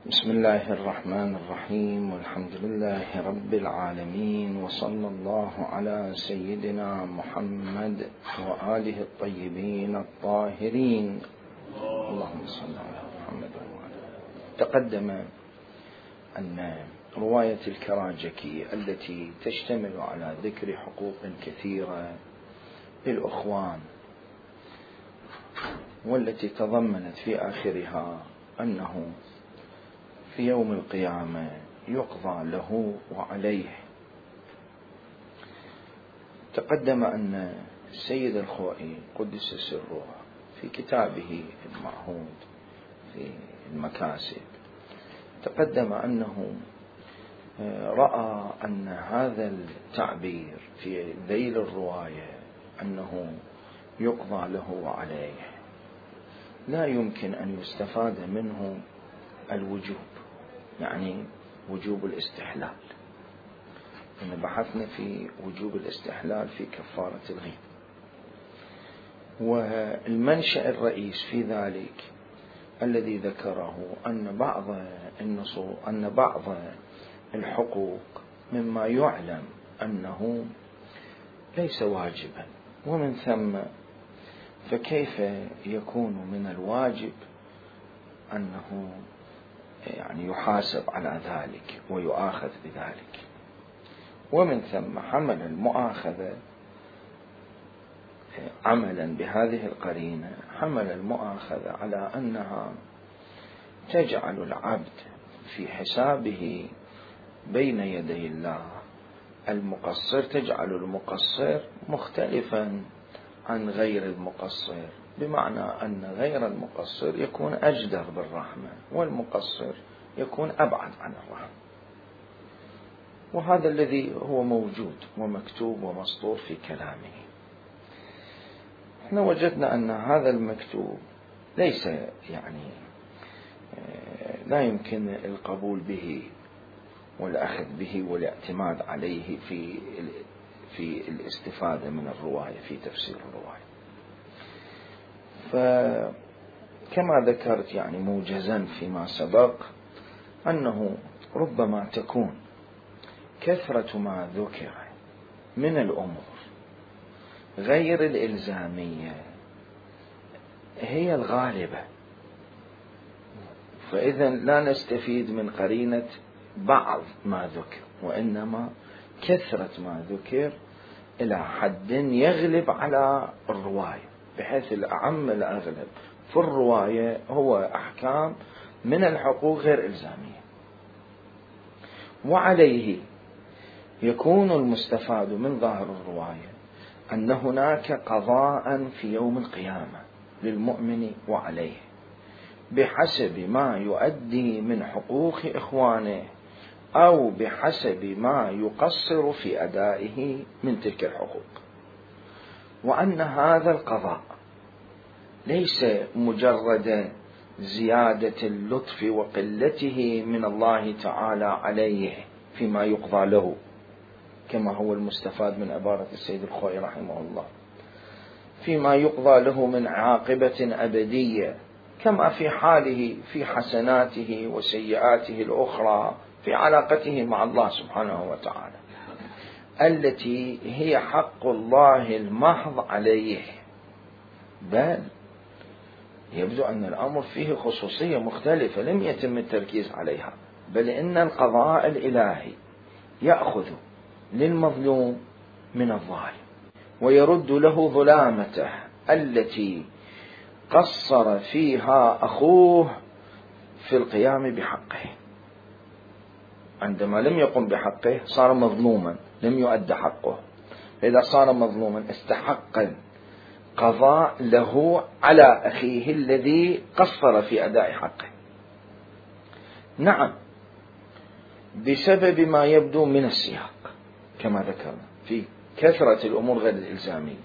بسم الله الرحمن الرحيم، والحمد لله رب العالمين، وصلى الله على سيدنا محمد وآله الطيبين الطاهرين. اللهم صل على محمد وآله. تقدم أن رواية الكراجكي التي تشتمل على ذكر حقوق كثيرة للأخوان، والتي تضمنت في آخرها أنه في يوم القيامة يقضى له وعليه. تقدم أن السيد الخوئي قدس سره في كتابه المعهود في المكاسب تقدم أنه رأى أن هذا التعبير في ذيل الرواية أنه يقضى له وعليه لا يمكن أن يستفاد منه الوجوب، يعني وجوب الاستحلال. إن بحثنا في وجوب الاستحلال في كفارة الغيب، والمنشأ الرئيس في ذلك الذي ذكره أن بعض الحقوق مما يعلم أنه ليس واجبا، ومن ثم فكيف يكون من الواجب أنه يعني يحاسب على ذلك ويؤاخذ بذلك. ومن ثم حمل المؤاخذة عملا بهذه القرينة، حمل المؤاخذة على أنها تجعل العبد في حسابه بين يدي الله المقصر، تجعل المقصر مختلفا عن غير المقصر، بمعنى أن غير المقصر يكون أجدر بالرحمة والمقصر يكون أبعد عن الرحمة. وهذا الذي هو موجود ومكتوب ومسطور في كلامه. احنا وجدنا أن هذا المكتوب ليس يعني لا يمكن القبول به والأخذ به والاعتماد عليه في الاستفادة من الرواية في تفسير الرواية. فكما ذكرت يعني موجزا فيما سبق أنه ربما تكون كثرة ما ذكر من الأمور غير الإلزامية هي الغالبة، فإذا لا نستفيد من قرينة بعض ما ذكر، وإنما كثرة ما ذكر إلى حد يغلب على الرواية، بحيث الأعم الأغلب في الرواية هو أحكام من الحقوق غير إلزامية. وعليه يكون المستفاد من ظاهر الرواية أن هناك قضاء في يوم القيامة للمؤمن وعليه بحسب ما يؤدي من حقوق إخوانه أو بحسب ما يقصر في أدائه من تلك الحقوق، وأن هذا القضاء ليس مجرد زيادة اللطف وقلته من الله تعالى عليه فيما يقضى له، كما هو المستفاد من عبارة السيد الخوئي رحمه الله، فيما يقضى له من عاقبة أبدية، كما في حاله في حسناته وسيئاته الأخرى في علاقته مع الله سبحانه وتعالى التي هي حق الله المحض عليه. بل يبدو أن الأمر فيه خصوصية مختلفة لم يتم التركيز عليها، بل إن القضاء الإلهي يأخذ للمظلوم من الظالم ويرد له ظلامته التي قصر فيها أخوه في القيام بحقه. عندما لم يقم بحقه صار مظلوما، لم يؤد حقه، إذا صار مظلوما استحق القضاء له على أخيه الذي قصر في أداء حقه. نعم، بسبب ما يبدو من السياق كما ذكرنا في كثرة الأمور غير الإلزامية،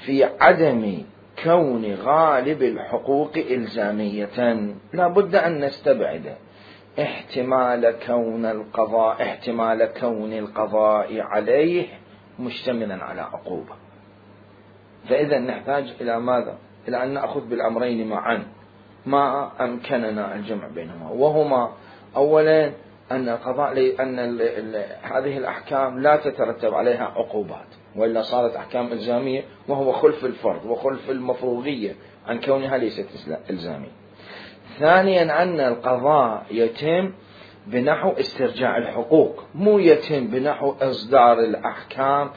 في عدم كون غالب الحقوق إلزامية، لا بد أن نستبعد احتمال كون القضاء عليه مشتملا على عقوبة. فإذا نحتاج إلى ماذا؟ إلى أن نأخذ بالأمرين معا، ما أمكننا الجمع بينهما، وهما أولا أن القضاء أن هذه الأحكام لا تترتب عليها عقوبات، وإلا صارت أحكام إلزامية، وهو خلف الفرض وخلف المفروضية عن كونها ليست إلزامية. ثانيا أن القضاء يتم بنحو استرجاع الحقوق، مو يتم بنحو إصدار الأحكام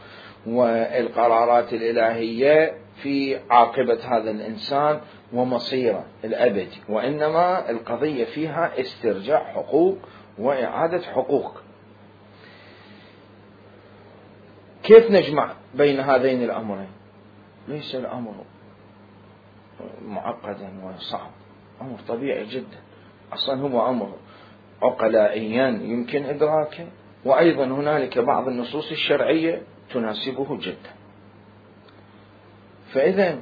والقرارات الإلهية في عاقبة هذا الإنسان ومصيره الأبدي، وإنما القضية فيها استرجاع حقوق وإعادة حقوق. كيف نجمع بين هذين الأمرين؟ ليس الأمر معقدا وصعب، أمر طبيعي جدا، أصلا هو أمر عقلائيا يمكن إدراكه، وأيضا هنالك بعض النصوص الشرعية تناسبه جدا. فإذا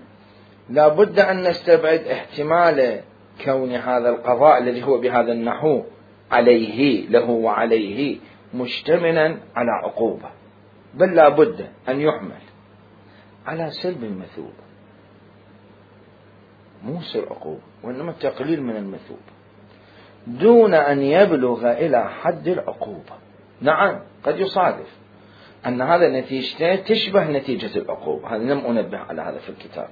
لا بد أن نستبعد احتمال كون هذا القضاء الذي هو بهذا النحو عليه له وعليه مشتملا على عقوبة، بل لا بد أن يحمل على سلب المثوبة، مو سر عقوبة وإنما تقليل من المثوبة دون أن يبلغ إلى حد العقوبة. نعم قد يصادف أن هذا نتيجته تشبه نتيجة العقوبة، هذا لم أنبه على هذا في الكتاب.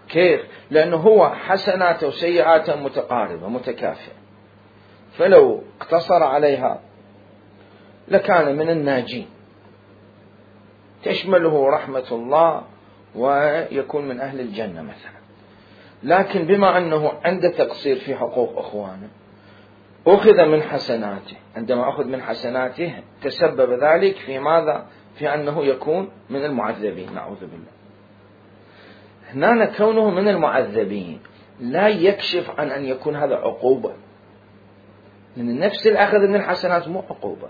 كيف؟ لأنه هو حسناته وسيئاته متقاربة متكافئة، فلو اقتصر عليها لكان من الناجين، تشمله رحمة الله ويكون من أهل الجنة مثلا. لكن بما أنه عند تقصير في حقوق أخوانه أخذ من حسناته، عندما أخذ من حسناته تسبب ذلك في ماذا؟ في أنه يكون من المعذبين، نعوذ بالله. هنا كونه من المعذبين لا يكشف عن أن يكون هذا عقوبة، من نفس الأخذ من الحسنات مو عقوبة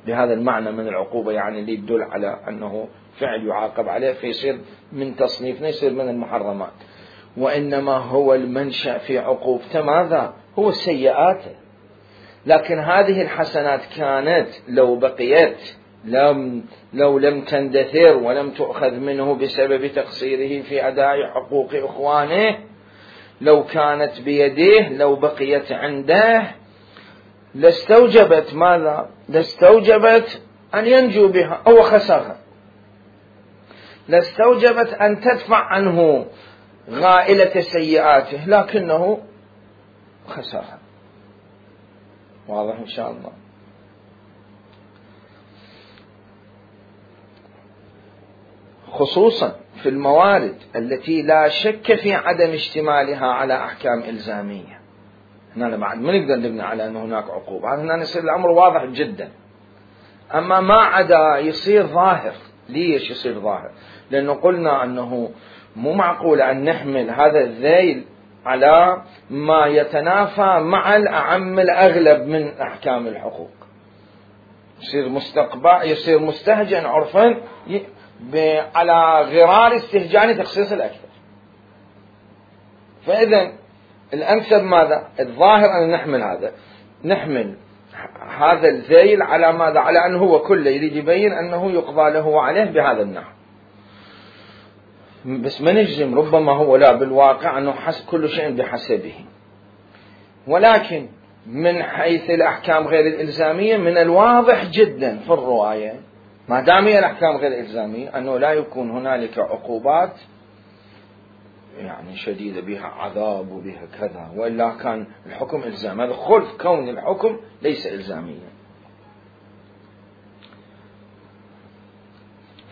بهذا المعنى من العقوبة، يعني اللي يدل على أنه فعل يعاقب عليه فيصير من تصنيفنا يصير من المحرمات، وإنما هو المنشأ في عقوبته ماذا؟ هو سيئاته. لكن هذه الحسنات كانت لو بقيت لو لم تندثر ولم تؤخذ منه بسبب تقصيره في أداء حقوق إخوانه، لو كانت بيده لو بقيت عنده لاستوجبت ماذا؟ لاستوجبت أن ينجو بها أو خسرها، لاستوجبت أن تدفع عنه غائلة سيئاته لكنه خسرها. واضح إن شاء الله. خصوصا في الموارد التي لا شك في عدم اشتمالها على أحكام إلزامية، هنا بعد ما نقدر نبني على أن هناك عقوبة، هنا يصير الأمر واضح جدا. أما ما عدا يصير ظاهر. ليش يصير ظاهر؟ لأنه قلنا أنه مو معقول أن نحمل هذا الذيل على ما يتنافى مع الأعم الأغلب من أحكام الحقوق، يصير مستهجن عرفا على غرار استهجان تخصيص الأكثر. فإذا الأنسب ماذا؟ الظاهر أن نحمل هذا الذيل على ماذا؟ على أنه هو كله يريد يبين أنه يقضى له وعليه بهذا النحو، بس ما نجزم، ربما هو لا بالواقع أنه كل شيء بحسبه. ولكن من حيث الأحكام غير الإلزامية من الواضح جدا في الرواية ما دام هي الأحكام غير الإلزامية أنه لا يكون هنالك عقوبات يعني شديدة بها عذاب وبها كذا، وإلا كان الحكم إلزامي. هذا خلف كون الحكم ليس إلزاميا.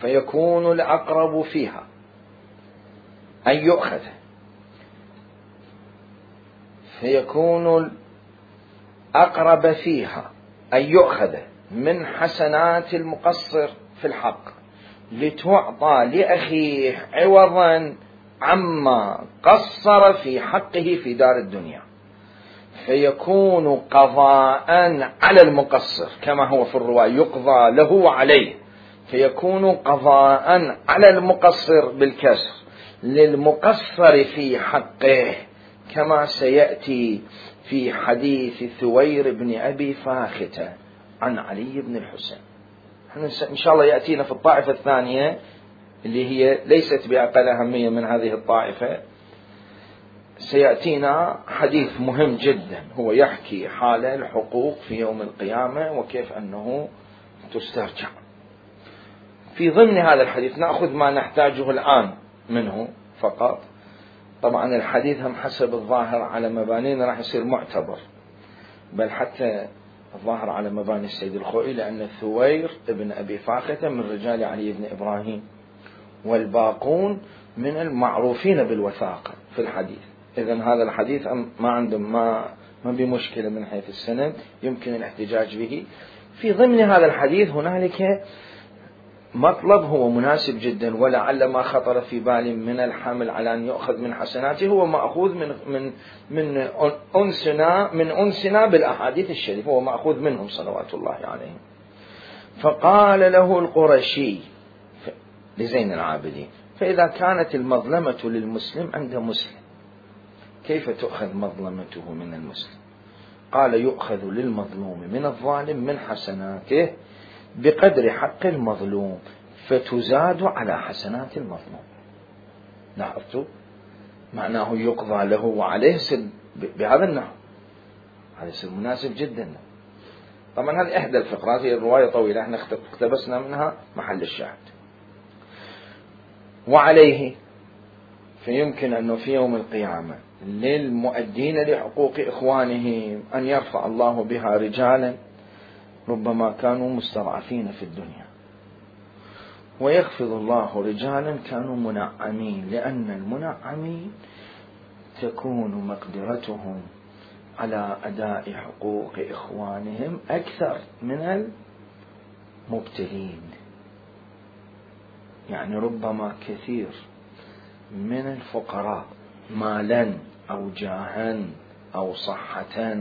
فيكون الأقرب فيها أن يؤخذ، فيكون الأقرب فيها أن يؤخذ من حسنات المقصر في الحق لتعطى لأخيه عوضا عما قصر في حقه في دار الدنيا، فيكون قضاء على المقصر كما هو في الرواية يقضى له وعليه، فيكون قضاء على المقصر بالكسر للمقصر في حقه كما سيأتي في حديث ثوير بن أبي فاختة عن علي بن الحسين. إن شاء الله يأتينا في الطائفة الثانية اللي هي ليست بأقل أهمية من هذه الطائفة، سيأتينا حديث مهم جدا هو يحكي حال الحقوق في يوم القيامة وكيف أنه تسترجع. في ضمن هذا الحديث نأخذ ما نحتاجه الآن منه فقط. طبعا الحديث هم حسب الظاهر على مبانينا راح يصير معتبر، بل حتى الظاهر على مباني السيد الخوئي، لأن الثوير ابن أبي فاخته من رجال علي بن إبراهيم، والباقون من المعروفين بالوثاقة في الحديث. إذن هذا الحديث ما عندهم ما بمشكلة من حيث السند، يمكن الاحتجاج به. في ضمن هذا الحديث هنالك مطلب هو مناسب جدا، ولعل ما خطر في بالي من الحمل على أن يؤخذ من حسناته هو مأخوذ من أنسنا بالأحاديث الشريفة، هو مأخوذ منهم صلوات الله عليهم. فقال له القرشي لزين العابدين: فإذا كانت المظلمة للمسلم عند مسلم كيف تؤخذ مظلمته من المسلم؟ قال: يؤخذ للمظلوم من الظالم من حسناته بقدر حق المظلوم فتزاد على حسنات المظلوم. لاحظتوا؟ معناه يقضى له وعليه بهذا النحو. هذا يصير مناسب جدا. طبعا هذه إحدى الفقرات، هي الرواية طويلة احنا اقتبسنا منها محل الشاهد. وعليه فيمكن أنه في يوم القيامة للمؤدين لحقوق إخوانهم أن يرفع الله بها رجالا ربما كانوا مستضعفين في الدنيا، ويخفض الله رجالا كانوا منعمين، لأن المنعمين تكون مقدرتهم على أداء حقوق إخوانهم أكثر من المبتلين. يعني ربما كثير من الفقراء مالا أو جاها أو صحة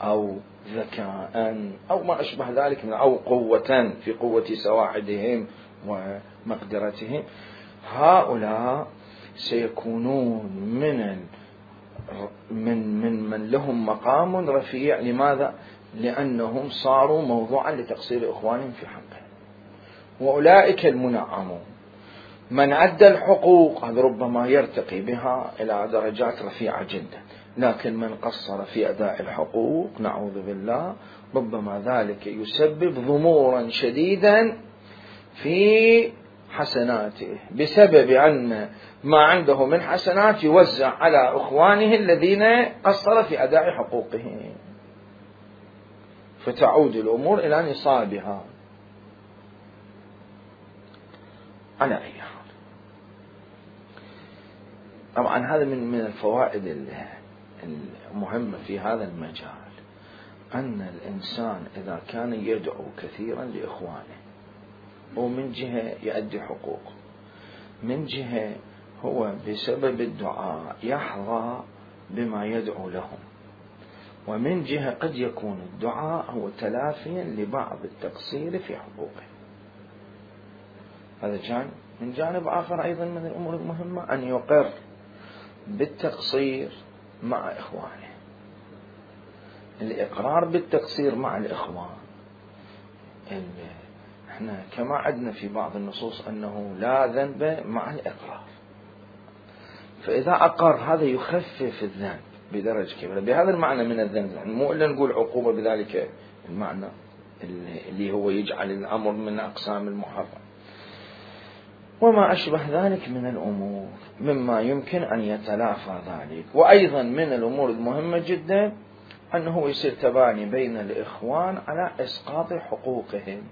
أو ذكاء أو ما أشبه ذلك أو قوة في قوة سواعدهم ومقدرتهم، هؤلاء سيكونون من لهم مقام رفيع. لماذا؟ لأنهم صاروا موضوعا لتقصير إخوانهم في حقهم. وأولئك المنعمون من أدى الحقوق هذا ربما يرتقي بها إلى درجات رفيعة جدا، لكن من قصر في أداء الحقوق نعوذ بالله ربما ذلك يسبب ضمورا شديدا في حسناته، بسبب أن ما عنده من حسنات يوزع على إخوانه الذين قصر في أداء حقوقهم، فتعود الأمور إلى نصابها. على أي حال، طبعا هذا من الفوائد المهمة في هذا المجال، أن الإنسان إذا كان يدعو كثيرا لإخوانه، ومن جهة يؤدي حقوقه، من جهة هو بسبب الدعاء يحظى بما يدعو لهم، ومن جهة قد يكون الدعاء هو تلافيا لبعض التقصير في حقوقه. هذا جانب. من جانب آخر أيضا من الأمور المهمة أن يقر بالتقصير مع إخوانه. الإقرار بالتقصير مع الإخوان، احنا كما عدنا في بعض النصوص أنه لا ذنب مع الإقرار، فإذا أقر هذا يخفف الذنب بدرجة كبيرة. بهذا المعنى من الذنب، يعني مو إلا نقول عقوبة بذلك المعنى اللي هو يجعل الأمر من أقسام المحرم، وما أشبه ذلك من الأمور مما يمكن أن يتلافى ذلك. وأيضا من الأمور المهمة جدا أنه يصير تباني بين الإخوان على إسقاط حقوقهم،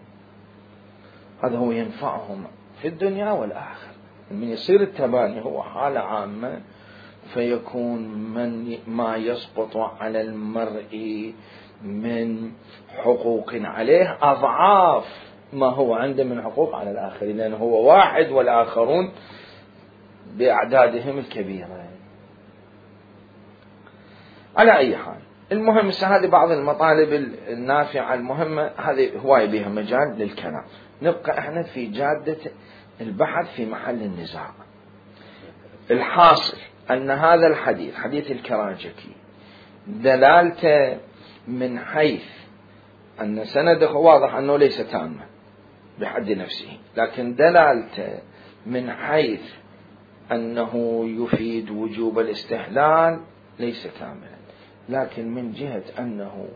هذا هو ينفعهم في الدنيا والآخرة. من يصير التباني هو حالة عامة، فيكون ما يسقط على المرء من حقوق عليه أضعاف ما هو عنده من حقوق على الآخرين، لأنه هو واحد والآخرون بأعدادهم الكبيرة. على أي حال، المهم هذه بعض المطالب النافعة المهمة، هذه هواية بها مجال للكلام. نبقى احنا في جادة البحث في محل النزاع. الحاصل أن هذا الحديث، حديث الكراجكي، دلالته من حيث أن سنده واضح أنه ليس تاما بحد نفسه، لكن دلالته من حيث أنه يفيد وجوب الاستحلال ليس كاملا، لكن من جهة أنه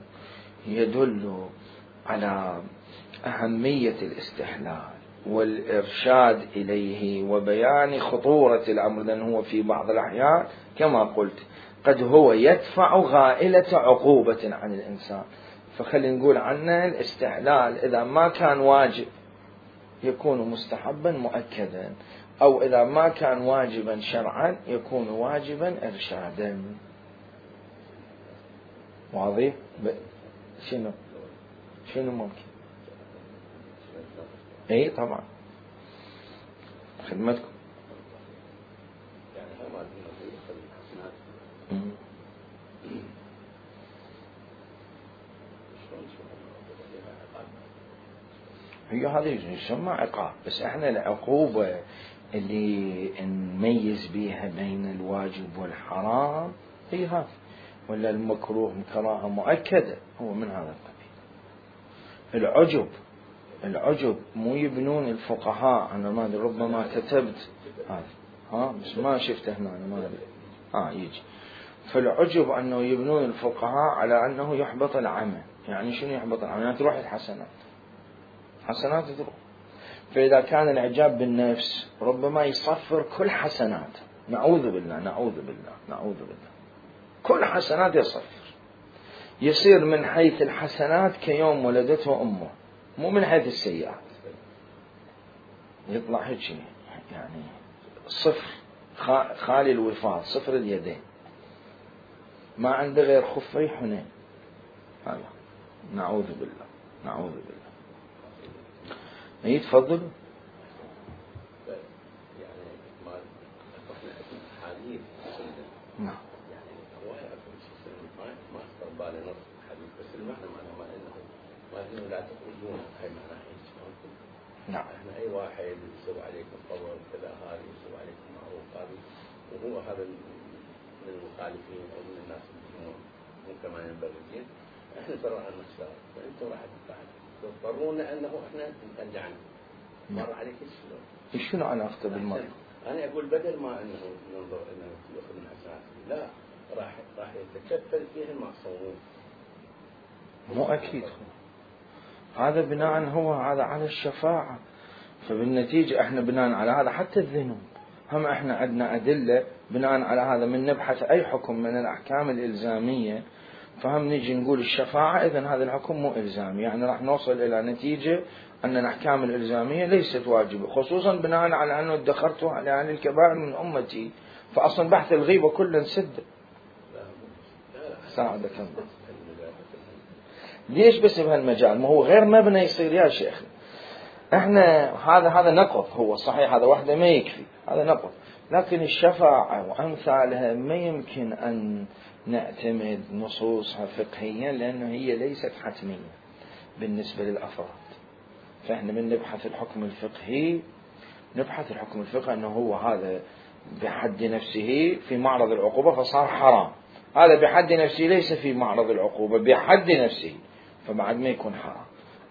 يدل على أهمية الاستحلال والإرشاد إليه وبيان خطورة الأمر، لأنه هو في بعض الأحيان كما قلت قد هو يدفع غائلة عقوبة عن الإنسان. فخلينا نقول عنه الاستحلال إذا ما كان واجب يكون مستحبا مؤكدا، أو إذا ما كان واجبا شرعا يكون واجبا إرشادا. واضح؟ شنو ممكن؟ اي طبعا خدمتكم. هي هذه يسمى عقاب، بس احنا العقوبة اللي نميز بيها بين الواجب والحرام هي هذه، ولا المكروه كراهة مؤكدة هو من هذا القبيل. العجب مو يبنون الفقهاء، أنا ما أدري ربما كتبت هذا بس ما شفته هنا، أنا ما أدري يجي. فالعجب أنه يبنون الفقهاء على أنه يحبط العمل. يعني شنو يحبط العمل؟ يعني تروح الحسنات، حسنات تروح. فإذا كان الإعجاب بالنفس ربما يصفر كل حسنات، نعوذ بالله نعوذ بالله نعوذ بالله، كل حسنات يصفر، يصير من حيث الحسنات كيوم ولدته أمه، مو من حيث السيئات، يطلع هيك يعني صفر، خالي الوفاض، صفر اليدين، ما عنده غير خفي حنين. هذا نعوذ بالله نعوذ بالله. يتفضل. نعم. لا تخرجون هاي معناها نعم. احنا اي واحد يسوي عليكم فضل كذا، هذا يسوي عليكم معروف، هذا وهو هذا من المخالفين او من الناس اللي مو كمان ينبغي، احنا ترى نخسر، فانتم راح تضطرونا انه احنا نرجعنا. مر عليك شنو علاقته بالمرء؟ انا اقول بدل ما انه ننظر انه ياخذ من حسنات، لا راح يتكفل فيها المعصومون. مو اكيد هذا بناء هو هذا على الشفاعة، فبالنتيجة احنا بناء على هذا حتى الذنوب هم احنا عندنا أدلة بناء على هذا، من نبحث أي حكم من الأحكام الإلزامية فهم نيجي نقول الشفاعة إذن هذا الحكم مو إلزامي، يعني راح نوصل إلى نتيجة أن الأحكام الإلزامية ليست واجبة، خصوصا بناء على أنه ادخرته على يعني الكبائر من أمتي، فأصلا بحث الغيبة كله سد. ساعدك الله. ليش بس بهالمجال؟ ما هو غير مبنى يصير يا شيخ. احنا هذا نقض، هو صحيح هذا وحده ما يكفي، هذا نقض، لكن الشفاعة وأمثالها ما يمكن أن نعتمد نصوصها فقهيا لأنه هي ليست حتمية بالنسبة للأفراد. فإحنا من نبحث الحكم الفقهي نبحث الحكم الفقهي أنه هو هذا بحد نفسه في معرض العقوبة فصار حرام، هذا بحد نفسه ليس في معرض العقوبة بحد نفسه فبعد ما يكون حرام.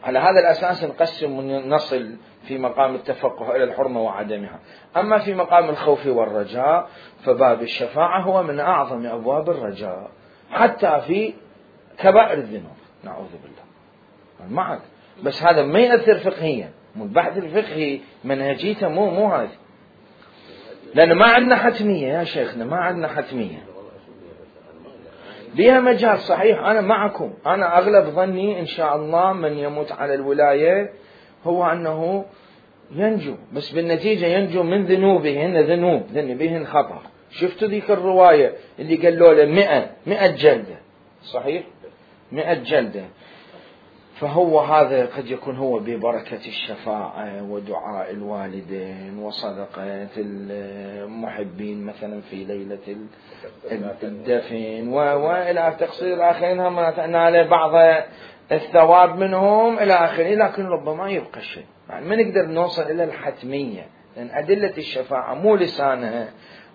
على هذا الأساس نقسم ونصل في مقام التفقه إلى الحرمة وعدمها. أما في مقام الخوف والرجاء فباب الشفاعة هو من أعظم أبواب الرجاء حتى في كبائر الذنوب، نعوذ بالله معك. بس هذا ما يأثر فقهيا، البحث الفقهي منهجيته مو هذه، لأن ما عندنا حتمية يا شيخنا، ما عندنا حتمية، ليها مجال. صحيح أنا معكم، أنا أغلب ظني إن شاء الله من يموت على الولاية هو أنه ينجو، بس بالنتيجة ينجو من ذنوبه، هن ذنوب ذنبهن خطر. شفتوا ذيك الرواية اللي قالوا له 100 جلدة، صحيح 100 جلدة. فهو هذا قد يكون هو ببركة الشفاعة ودعاء الوالدين وصدقة المحبين مثلا في ليلة الدفن وإلى تقصير الآخرين هم نال بعض الثواب منهم إلى آخره، لكن ربما يبقى شيء، يعني ما نقدر نوصل إلى الحتمية، لأن أدلة الشفاعة مو لسانها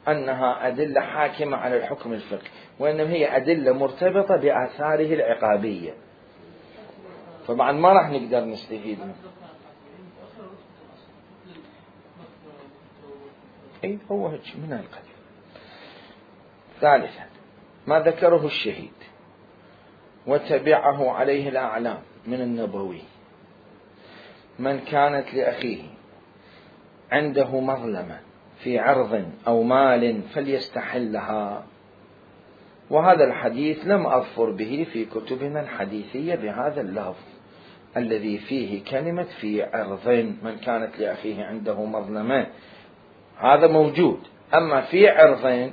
أنها أدلة حاكمة على الحكم الفقهي، وإنما هي أدلة مرتبطة بآثاره العقابية، فبعد ما راح نقدر نستفيد منه. الوحيد هو هيك من القبيل. ثالثا ما ذكره الشهيد وتبعه عليه الأعلام من النبوي: من كانت لأخيه عنده مظلمة في عرض أو مال فليستحلها. وهذا الحديث لم أظفر به في كتبنا الحديثية بهذا اللفظ الذي فيه كلمة في عرض. من كانت لأخيه عنده مظلمة هذا موجود، أما في عرض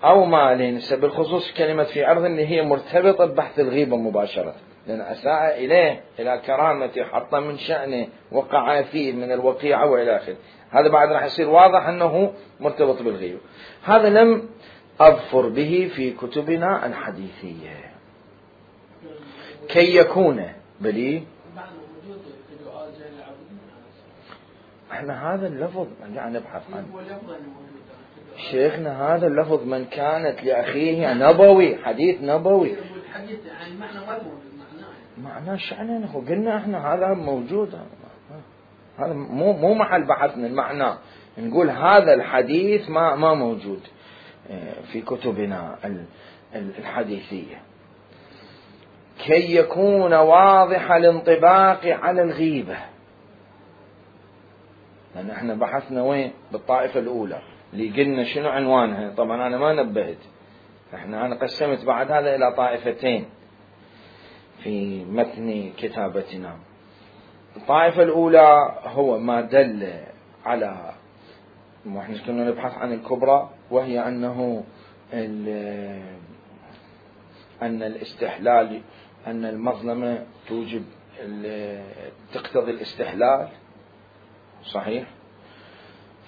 أو مال بالخصوص كلمة في عرض اللي هي مرتبطة ببحث الغيبة مباشرة، لأن أساء إليه إلى كرامته، حط من شأنه، وقع فيه من الوقيعة وإلى آخره. هذا بعد راح يصير واضح أنه مرتبط بالغيبة. هذا لم أظفر به في كتبنا الحديثية كي يكون بلي. احنا هذا اللفظ قاعد نبحث عنه شيخنا، هذا اللفظ من كانت لأخيه نبوي، حديث نبوي. معناه شأنه قلنا احنا هذا موجود، هذا مو محل بحثنا. المعنى نقول هذا الحديث ما موجود في كتبنا الحديثية كي يكون واضح الانطباق على الغيبة. لأن احنا بحثنا وين؟ بالطائفة الأولى اللي قلنا شنو عنوانها. طبعا أنا ما نبهت، أنا قسمت بعد هذا إلى طائفتين في متن كتابتنا. الطائفة الأولى هو ما دل على، احنا كنا نبحث عن الكبرى، وهي أن الاستحلال، أن المظلمة توجب تقتضي الاستحلال، صحيح؟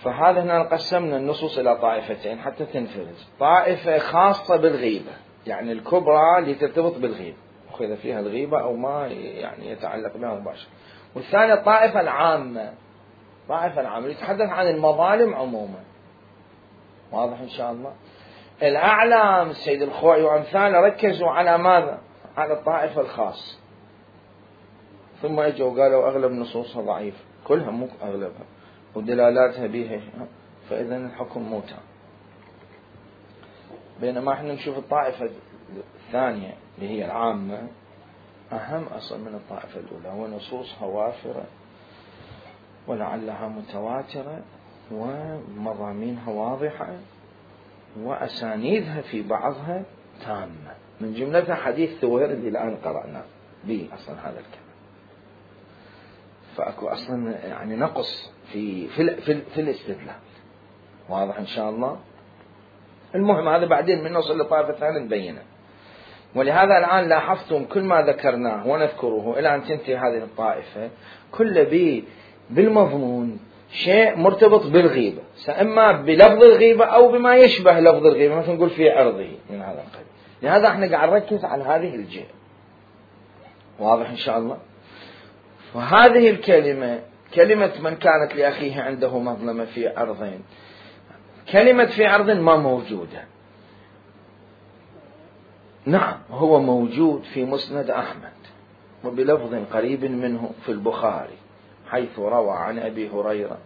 فهذا هنا قسمنا النصوص إلى طائفتين حتى تنفرز. طائفة خاصة بالغيبة، يعني الكبرى اللي ترتبط بالغيبة، أخذ فيها الغيبة أو ما يعني يتعلق بها مباشرة. والثانية الطائفة العامة، طائفة العامة يتحدث عن المظالم عموما. واضح إن شاء الله؟ الأعلام السيد الخوئي وأمثاله ركزوا على ماذا؟ على الطائفة الخاصة، ثم اجوا وقالوا أغلب نصوصها ضعيف، كلها مو أغلبها، ودلالاتها بها، فإذا الحكم مو تام. بينما احنا نشوف الطائفة الثانية اللي هي العامة أهم أصلا من الطائفة الأولى، ونصوصها وافرة ولعلها متواترة ومضامينها واضحة وأسانيدها في بعضها تامة، من جملتها حديث ثوير اللي الآن قرأنا به أصلا هذا الكلام. فأكو أصلا يعني نقص في الاستدلال. واضح إن شاء الله؟ المهم هذا بعدين من نوصل لطائفة ثانية نبينه. ولهذا الآن لاحظتم كل ما ذكرناه ونذكره إلى أن تنتهي هذه الطائفة كل بالمضمون شيء مرتبط بالغيبة، إما بلفظ الغيبة أو بما يشبه لفظ الغيبة، مثل نقول في عرضه من هذا القبيل. لهذا احنا قاعد نركز على هذه الجهة. واضح إن شاء الله؟ وهذه الكلمة، كلمة من كانت لأخيه عنده مظلمة في عرضين، كلمة في عرض ما موجودة. نعم هو موجود في مسند أحمد وبلفظ قريب منه في البخاري، حيث روى عن أبي هريرة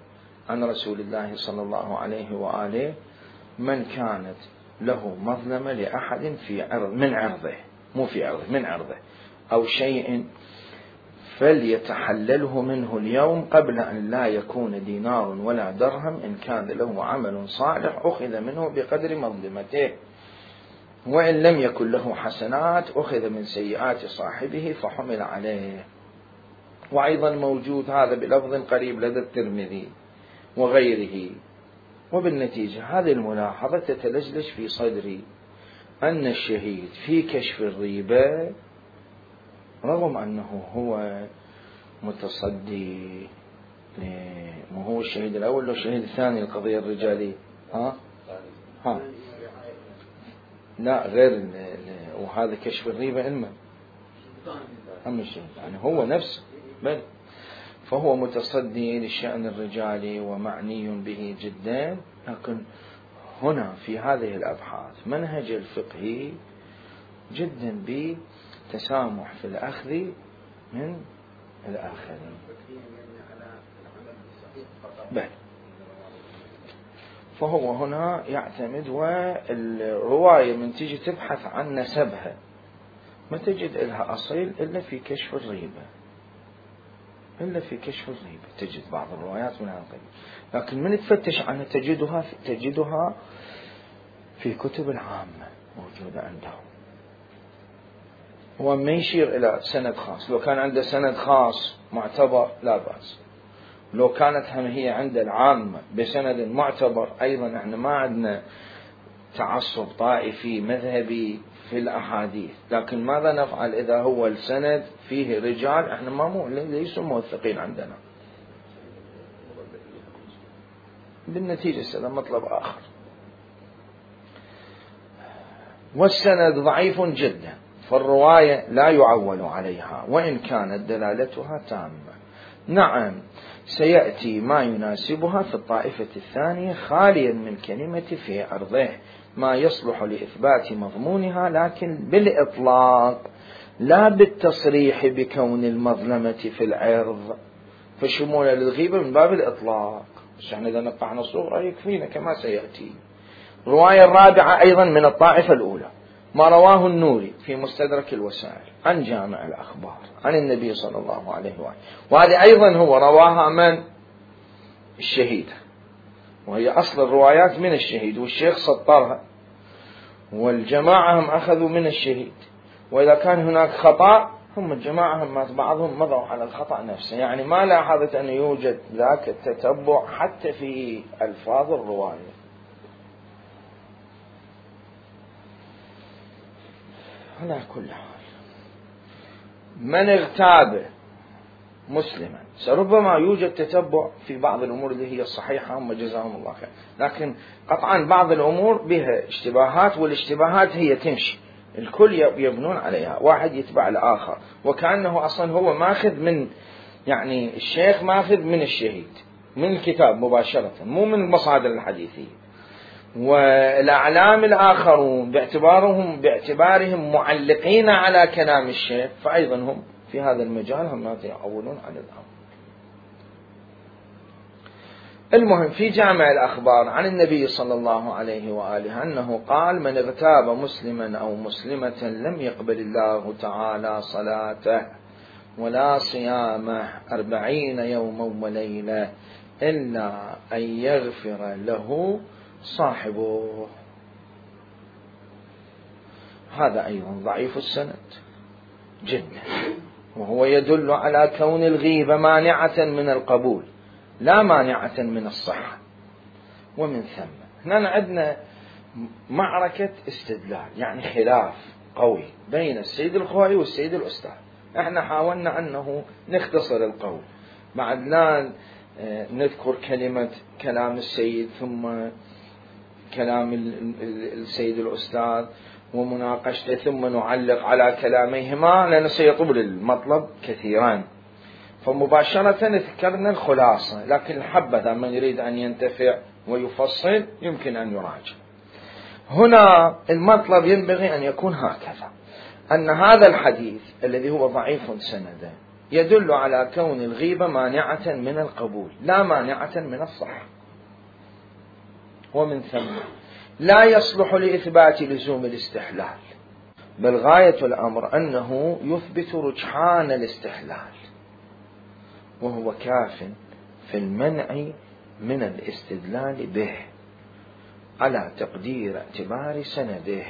عن رسول الله صلى الله عليه وآله: من كانت له مظلمة لأحد في عرض، من عرضه، مو في عرضه، من عرضه أو شيء، فليتحلله منه اليوم قبل أن لا يكون دينار ولا درهم، إن كان له عمل صالح أخذ منه بقدر مظلمته، وإن لم يكن له حسنات أخذ من سيئات صاحبه فحمل عليه. وأيضا موجود هذا بلفظ قريب لدى الترمذي وغيره. وبالنتيجة هذه الملاحظة تتلجلج في صدري أن الشهيد في كشف الريبة رغم أنه هو متصدي، مو هو الشهيد الأول لو الشهيد الثاني القضية الرجالية، لا غير وهذا كشف الريبة علما أم الشهيد، يعني هو نفسه بل فهو متصدي للشأن الرجالي ومعني به جدا. لكن هنا في هذه الأبحاث منهج الفقهي جدا بتسامح في الأخذ من الآخرين. بل فهو هنا يعتمد، والرواية من تجي تبحث عن نسبها ما تجد لها أصيل إلا في كشف الريبة، إلا في كشف الريبة تجد بعض الروايات من هذا القبيل، لكن من تفتش عنها تجدها في كتب العامة موجودة عندهم. هو ما يشير إلى سند خاص، لو كان عنده سند خاص معتبر لا بأس، لو كانت هم هي عند العامة بسند معتبر أيضا. احنا ما عندنا تعصب طائفي مذهبي في الأحاديث، لكن ماذا نفعل إذا هو السند فيه رجال احنا ما ليسوا موثقين عندنا، بالنتيجة هذا مطلب آخر. والسند ضعيف جدا، فالرواية لا يعول عليها وإن كانت دلالتها تامة. نعم سيأتي ما يناسبها في الطائفة الثانية خاليا من كلمة في عرضه ما يصلح لإثبات مضمونها، لكن بالإطلاق لا بالتصريح بكون المظلمة في العرض، فشمول للغيبة من باب الإطلاق. بس احنا إذا نقعنا صورة يكفينا كما سيأتي. الرواية الرابعة أيضا من الطائفة الأولى ما رواه النوري في مستدرك الوسائل عن جامع الأخبار عن النبي صلى الله عليه وآله، وهذه أيضا هو رواها من الشهيد، وهي أصل الروايات من الشهيد، والشيخ سطرها والجماعة هم أخذوا من الشهيد. وإذا كان هناك خطأ هم الجماعة هم بعضهم مضوا على الخطأ نفسه، يعني ما لاحظت أن يوجد ذاك التتبع حتى في ألفاظ الرواية. على كل حال من اغتاب مسلما سربما يوجد تتبع في بعض الأمور اللي هي الصحيحة، هم جزاهم الله خير، لكن قطعا بعض الأمور بها اشتباهات، والاشتباهات هي تمشي الكل يبنون عليها، واحد يتبع الآخر، وكأنه أصلا هو ماخذ من يعني الشيخ ماخذ من الشهيد من الكتاب مباشرة مو من المصادر الحديثية. والأعلام الآخرون باعتبارهم معلقين على كلام الشيخ، فأيضا هم في هذا المجال هم يعولون عن الأمر. المهم في جامع الأخبار عن النبي صلى الله عليه وآله أنه قال من اغتاب مسلما أو مسلمة لم يقبل الله تعالى صلاته ولا صيامه 40 يوما وليلة إلا أن يغفر له صاحبه. هذا أيضا ضعيف السند جدا، وهو يدل على كون الغيبة مانعة من القبول لا مانعة من الصحة. ومن ثم هنا عندنا معركة استدلال، يعني خلاف قوي بين السيد الخوئي والسيد الأستاذ. احنا حاولنا أنه نختصر القول، بعد لا نذكر كلام السيد ثم كلام السيد الأستاذ ومناقشته ثم نعلق على كلاميهما لأنه سيطول المطلب كثيرا، فمباشرة ذكرنا الخلاصة، لكن الحبذا من يريد أن ينتفع ويفصل يمكن أن يراجع. هنا المطلب ينبغي أن يكون هكذا، أن هذا الحديث الذي هو ضعيف سندا يدل على كون الغيبة مانعة من القبول لا مانعة من الصحة، ومن ثم لا يصلح لإثبات لزوم الاستحلال، بل غاية الأمر أنه يثبت رجحان الاستحلال، وهو كاف في المنع من الاستدلال به على تقدير اعتبار سنده.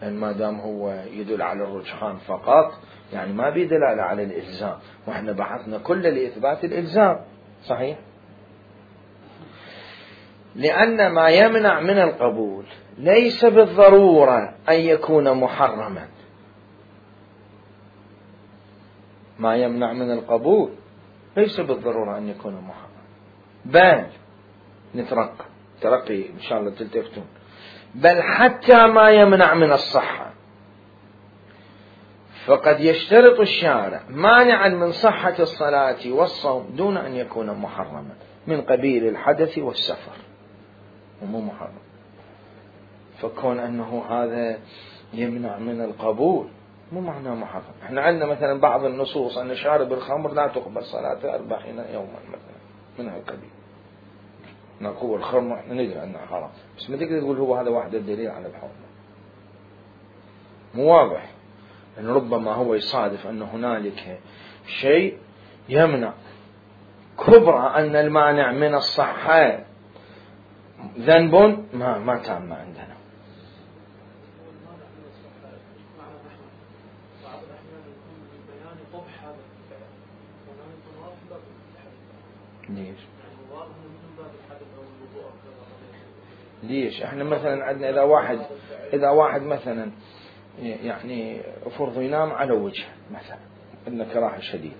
لأن ما دام هو يدل على الرجحان فقط يعني ما بيدل على الإلزام، وإحنا بحثنا كل لإثبات الإلزام صحيح، لأن ما يمنع من القبول ليس بالضرورة أن يكون محرما. ما يمنع من القبول ليس بالضرورة أن يكون محرما، بل ترقي إن شاء الله تلتفتون، بل حتى ما يمنع من الصحة، فقد يشترط الشارع مانعا من صحة الصلاة والصوم دون أن يكون محرما من قبيل الحدث والسفر ومو محرم. فكون أنه هذا يمنع من القبول مو معناه محرم. احنا عندنا مثلا بعض النصوص أن شارب الخمر لا تقبل صلاته 40 يوما مثلا من هالقبيل، نقول الخمر احنا ندري انه حرام، بس ما تقدر تقول هو هذا واحد الدليل على الحرمة. مو واضح ان ربما هو يصادف ان هنالك شيء يمنع كبرى ان المانع من الصحة ذنب ما تام عندنا. ليش احنا مثلا عندنا اذا واحد مثلا يعني فرض ينام على وجه مثلا انه كراهه شديد،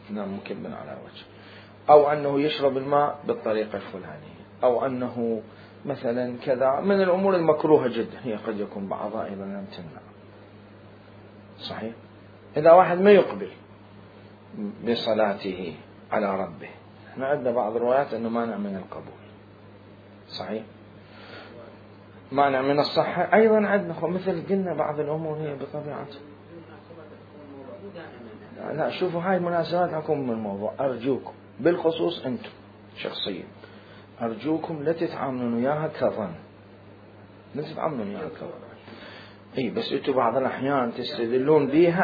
ينام مكبا على وجه، او انه يشرب الماء بالطريقه الفلانيه، او انه مثلا كذا من الامور المكروهه جدا، هي قد يكون بعضها ايضا لم تمنع. صحيح. اذا واحد ما يقبل بصلاته على ربه، احنا عندنا بعض الروايات انه مانع من القبول. صحيح. مانع من الصحة أيضا عندنا، مثل قلنا بعض الأمور هي بطبيعتها. لا شوفوا هاي المناسبات حكم من الموضوع، أرجوكم بالخصوص أنتم شخصيا، أرجوكم لا تتعاملون وياها كظن، لا تتعاملون وياها كظن. إيه بس أنتم بعض الأحيان تستدلون بها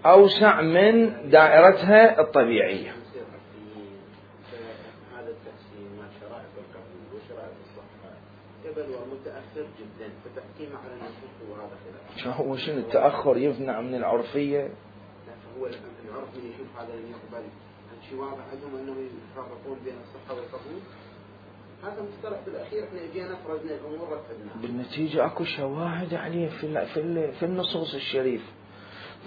أوسع من دائرتها الطبيعية. متأخر جدا، فتحكيم على النصوص وهذا خلاف. شنو التأخر يمنع من العرفية؟ هو العرف من يشوف هذا اللي يقبل، شيء واضح عندهم انه يفرقون بين الصحة والقبول. هذا مصطلح بالاخير احنا اجينا فرضنا الامور رتبناها. بالنتيجة اكو شواهد عليه في النصوص الشريفة.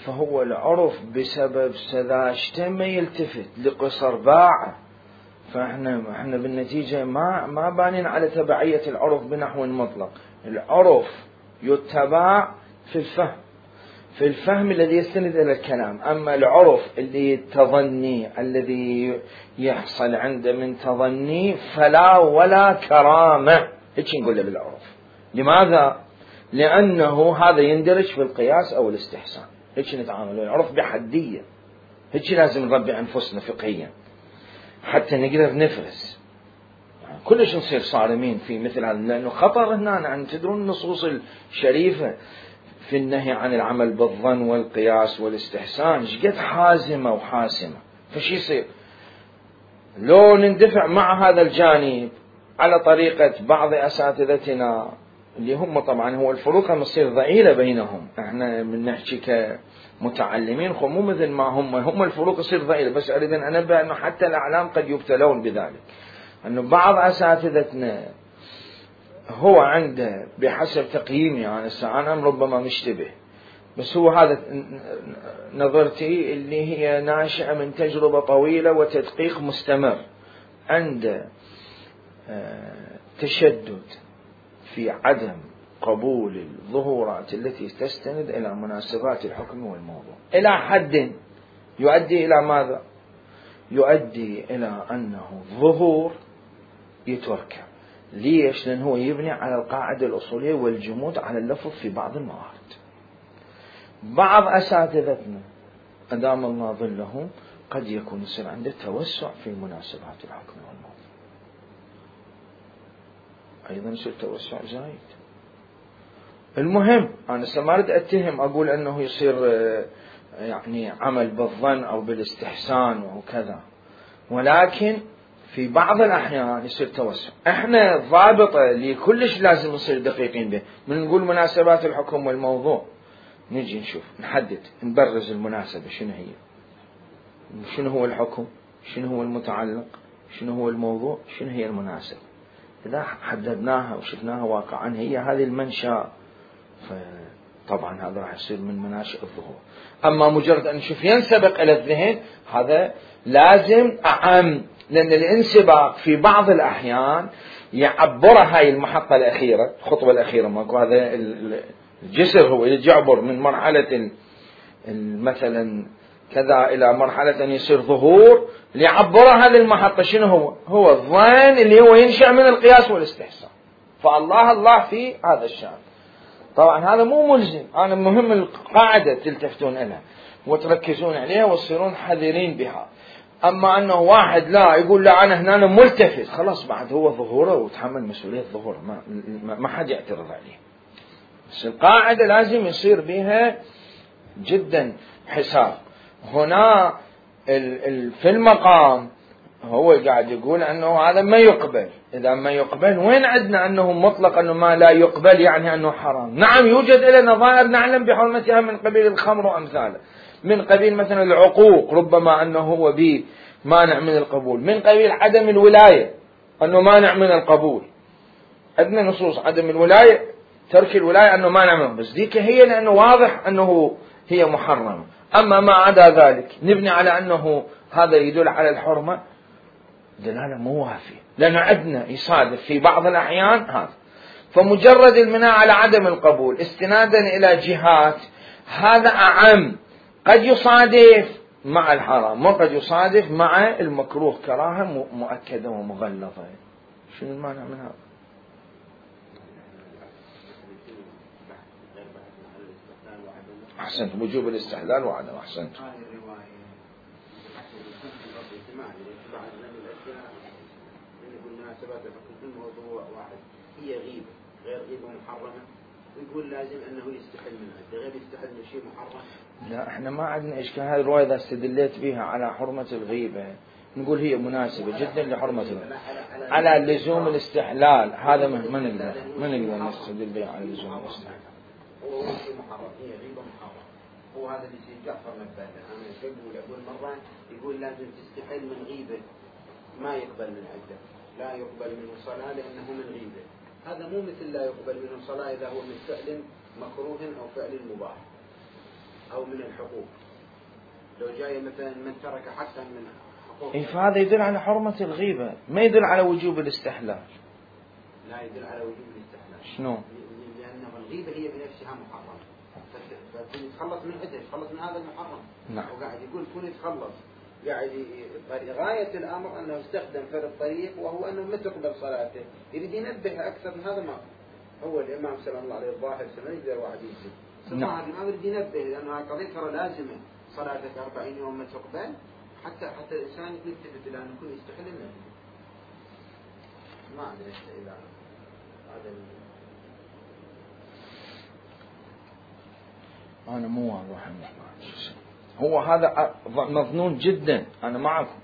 فهو العرف بسبب سذاجته ما يلتفت لقصر باعه. فاحنا بالنتيجة ما بانين على تبعية العرف بنحو مطلق. العرف يتبع في الفهم الذي يستند إلى الكلام. أما العرف اللي تظني الذي يحصل عنده من تظني فلا ولا كرامة. هيك نقول له بالعرف. لماذا؟ لأنه هذا يندرج في القياس أو الاستحسان. هيك نتعامل العرف بحدية. هيك لازم نربي أنفسنا فقهيا حتى نقدر نفرز. كلش نصير صارمين في مثل هذا، لأنه خطر هنا أن تدرون النصوص الشريفة في النهي عن العمل بالظن والقياس والاستحسان شقد حازمة وحاسمة. فشي يصير لو نندفع مع هذا الجانب على طريقة بعض أساتذتنا اللي هم طبعا هو الفروق مصير ضئيلة بينهم. احنا من نحكي كمتعلمين مو مثل ما هم الفروق يصير ضئيلة. بس أريد أن أنبه أنه حتى الأعلام قد يبتلون بذلك، أنه بعض أساتذتنا هو عنده بحسب تقييمي أنا ربما مشتبه، بس هو هذا نظرتي اللي هي ناشئة من تجربة طويلة وتدقيق مستمر، عنده تشدد في عدم قبول الظهورات التي تستند إلى مناسبات الحكم والموضوع إلى حد يؤدي إلى ماذا؟ يؤدي إلى أنه ظهور يترك. ليش؟ لأنه هو يبني على القاعدة الأصولية والجمود على اللفظ في بعض الموارد. بعض أساتذتنا أدام الله ظلهم قد يكون يصير عنده توسع في مناسبات الحكم والموضوع، أيضا يصير توسع زايد. المهم أنا ما أريد أتهم أقول أنه يصير يعني عمل بالظن أو بالاستحسان وكذا، ولكن في بعض الأحيان يصير توسع. احنا ضابطة لكلش لازم نصير دقيقين به. من نقول مناسبات الحكم والموضوع نجي نشوف نحدد نبرز المناسبة شنو هي، شنو هو الحكم، شنو هو المتعلق، شنو هو الموضوع، شنو هي المناسبة. إذا حددناها وشفناها واقعا هي هذه المنشأ، فطبعا هذا راح يصير من مناشئ الظهور. أما مجرد أن نشوف ينسبق إلى الذهن هذا لازم أعم، لأن الانسباق في بعض الأحيان يعبرها هاي المحطة الأخيرة، الخطوة الأخيرة ماكو هذا الجسر هو يعبر من مرحلة مثلا كذا إلى مرحلة أن يصير ظهور ليعبرها هذه المحطة. شنو هو الظن اللي هو ينشأ من القياس والاستحسان. فالله في هذا الشأن. طبعا هذا مو ملزم، أنا مهم القاعدة تلتفتون لها وتركزون عليها وتصيرون حذرين بها. أما أنه واحد لا يقول لا أنا هنا ملتفت، خلاص بعد هو ظهوره وتحمل مسؤولية ظهوره، ما حد يعترض عليه. بس القاعدة لازم يصير بها جدا حساب. هنا في المقام هو قاعد يقول أنه هذا ما يقبل. إذا ما يقبل وين عندنا أنه مطلق أنه ما لا يقبل يعني أنه حرام؟ نعم يوجد لنا نظائر نعلم بحرمتها من قبيل الخمر وأمثاله، من قبيل مثلا العقوق ربما أنه هو به مانع من القبول، من قبيل عدم الولاية أنه مانع من القبول، عندنا نصوص عدم الولاية ترك الولاية أنه مانع منه، بس ديك هي لأنه واضح أنه هي محرمة. أما ما عدا ذلك نبني على أنه هذا يدل على الحرمة، دلالة مو وافية، لأن عندنا يصادف في بعض الأحيان هذا. فمجرد المناع على عدم القبول استنادا إلى جهات هذا أعم، قد يصادف مع الحرام وقد يصادف مع المكروه كراهة مؤكدة ومغلظة. شنو المانع من هذا؟ أحسنت، وجوب الاستحلال وعدم. أحسنت. هي غيبة غير غيبة محرمة، ويقول لازم أنه يستحل منها، غير يستحل من شيء محرم. لا احنا ما عندنا إشكال. هذه الرواية إذا استدليت بها على حرمة الغيبة نقول هي مناسبة جدا لحرمة الغيبة. على لزوم الاستحلال هذا ما نقدر نستدل بها على لزوم الاستحلال. هو شيء محرم، هي غيبة محرم. هو هذا اللي سيد جعفر نبهنا. أنا أقول مرة يقول لازم تستحل من غيبة ما يقبل من عدة، لا يقبل منه صلاة لأنه من غيبة. هذا مو مثل لا يقبل منه صلاة إذا هو من فعل مكروه أو فعل مباح أو من الحقوق. لو جاي مثلا من ترك حقا من حقوق، فهذا يدل على حرمة الغيبة، ما يدل على وجوب الاستحلال. لا يدل على وجوب الاستحلال. شنو؟ لأنه الغيبة هي بنفسها محرمة، فكون يتخلص من عدة يتخلص من هذا المحرم. نعم. وقاعد يقول كون يتخلص، قاعد غاية الأمر أنه استخدم فرد الطريق وهو أنه ما تقبل صلاته، يريد ينبه أكثر من هذا. ما هو الإمام سلام الله عليه الظاهر سنة يقدر واحد يجي سبحان الإمام يريد ينبه، لأنه قضية ترى لازمة صلاتك 40 يوم ما تقبل، حتى الإنسان يلتفت إلى أن يكون يستحل منه. ما أدري إلى هذا أنا مو واضح. هو هذا مظنون جدا، أنا معكم،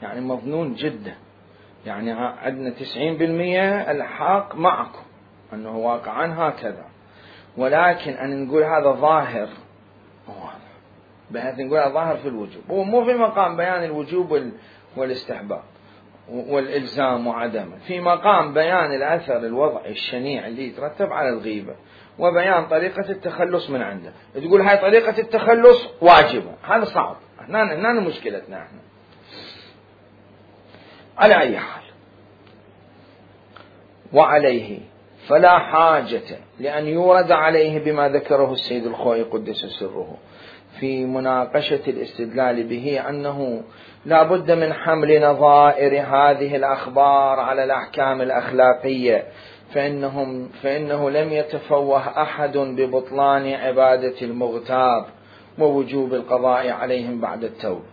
يعني مظنون جدا، يعني عندنا 90% الحق معكم أنه واقعا هكذا، ولكن أن نقول هذا ظاهر بحيث نقول هذا ظاهر في الوجوب، هو مو في مقام بيان الوجوب والاستحباب والإلزام وعدمه، في مقام بيان الأثر الوضعي الشنيع اللي يترتب على الغيبة وبيان طريقة التخلص من عنده. تقول هاي طريقة التخلص واجبة، هذا صعب. هنا مشكلتنا احنا. على أي حال، وعليه فلا حاجة لأن يورد عليه بما ذكره السيد الخوئي قدس سره في مناقشة الاستدلال به أنه لا بد من حمل نظائر هذه الأخبار على الأحكام الأخلاقية، فإنه لم يتفوه أحد ببطلان عبادة المغتاب ووجوب القضاء عليهم بعد التوبة.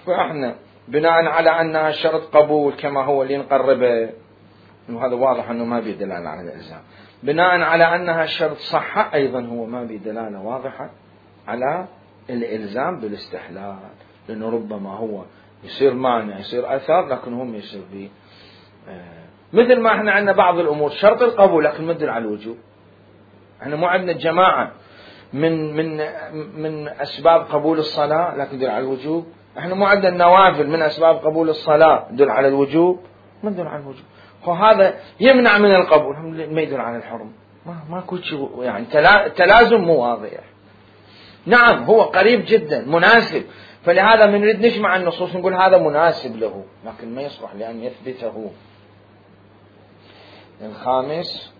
فإحنا بناء على أنها شرط قبول كما هو اللي نقربه، وهذا واضح أنه ما بيدلالة على الإلزام، بناء على أنها شرط صحة أيضا هو ما بيدلالة واضحة على الإلزام بالاستحلال، لأنه ربما هو يصير مانع يصير أثر لكن هم يصير به مثل ما احنا عندنا بعض الأمور شرط القبول لكن ما تدل على الوجوب. احنا مو عندنا جماعة من أسباب قبول الصلاة لكن تدل على الوجوب. احنا مو عندنا النوافل من أسباب قبول الصلاة تدل على الوجوب، ما تدل على الوجوب. وهذا يمنع من القبول، ما يدل على الحرم. ما كل شيء يعني تلازم مو واضح. نعم هو قريب جدا مناسب، فلهذا من نريد نجمع النصوص نقول هذا مناسب له، لكن ما يصلح لأن يثبته. الخامس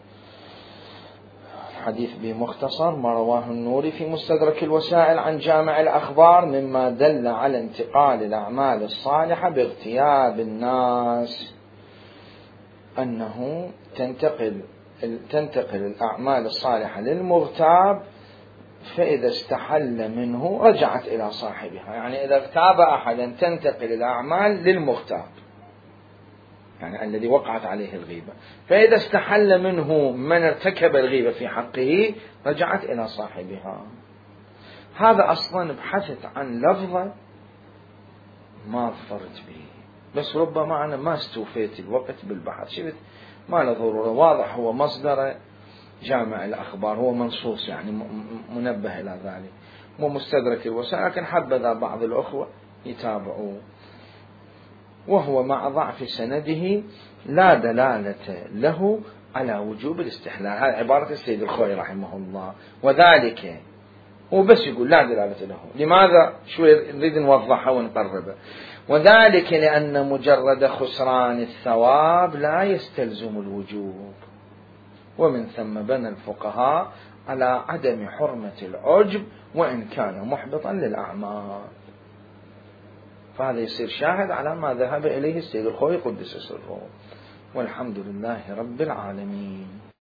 حديث بمختصر ما رواه النوري في مستدرك الوسائل عن جامع الأخبار مما دل على انتقال الأعمال الصالحة باغتياب الناس، أنه تنتقل الأعمال الصالحة للمغتاب فإذا استحل منه رجعت إلى صاحبها. يعني إذا اغتاب أحدا تنتقل الأعمال للمغتاب، يعني الذي وقعت عليه الغيبة، فإذا استحل منه من ارتكب الغيبة في حقه رجعت إلى صاحبها. هذا أصلا بحثت عن لفظة ما ظفرت به، بس ربما أنا ما استوفيت الوقت بالبحث، شفت ما له ضرورة، واضح هو مصدر جامع الأخبار، هو منصوص يعني منبه إلى ذلك، مو مستدرك الوسائل، لكن حبذا بعض الأخوة يتابعوه. وهو مع ضعف سنده لا دلالة له على وجوب الاستحلال. هذه عبارة السيد الخوئي رحمه الله. وذلك هو بس يقول لا دلالة له. لماذا؟ شوي نريد نوضحها ونقربها. وذلك لأن مجرد خسران الثواب لا يستلزم الوجوب، ومن ثم بنى الفقهاء على عدم حرمة العجب وإن كان محبطا للأعمال. فهذا يصير شاهد على ما ذهب إليه السيد الخوئي قدس سره. والحمد لله رب العالمين.